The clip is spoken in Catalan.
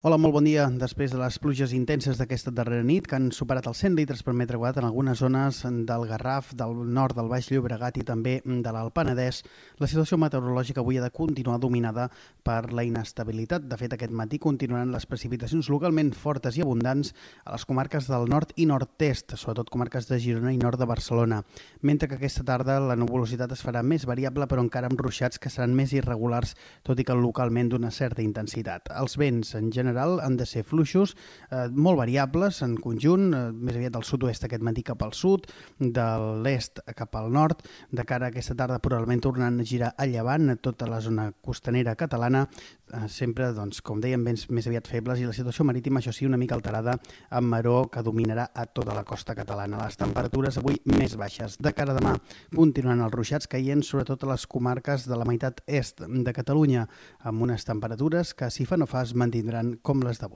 Hola, molt bon dia. Després de les pluges intenses d'aquesta darrera nit, que han superat els 100 litres per metre quadrat en algunes zones del Garraf, del nord del Baix Llobregat i també de l'Alt Penedès, la situació meteorològica avui ha de continuar dominada per la inestabilitat. De fet, aquest matí continuaran les precipitacions localment fortes i abundants a les comarques del nord i nord-est, sobretot comarques de Girona i nord de Barcelona, mentre que aquesta tarda la nuvolositat es farà més variable, però encara amb ruixats que seran més irregulars, tot i que localment d'una certa intensitat. Els vents, en general, han de ser fluixos, molt variables en conjunt, més aviat del sud-oest aquest matí cap al sud, de l'est cap al nord. De cara a aquesta tarda probablement tornaran a girar a llevant a tota la zona costanera catalana, sempre, doncs, com dèiem, vents més aviat febles i la situació marítima, això sí, una mica alterada amb maró que dominarà a tota la costa catalana. Les temperatures avui més baixes. De cara a demà continuaran els ruixats caient sobretot a les comarques de la meitat est de Catalunya, amb unes temperatures que, si fa no fa, es mantindran com les d'avui.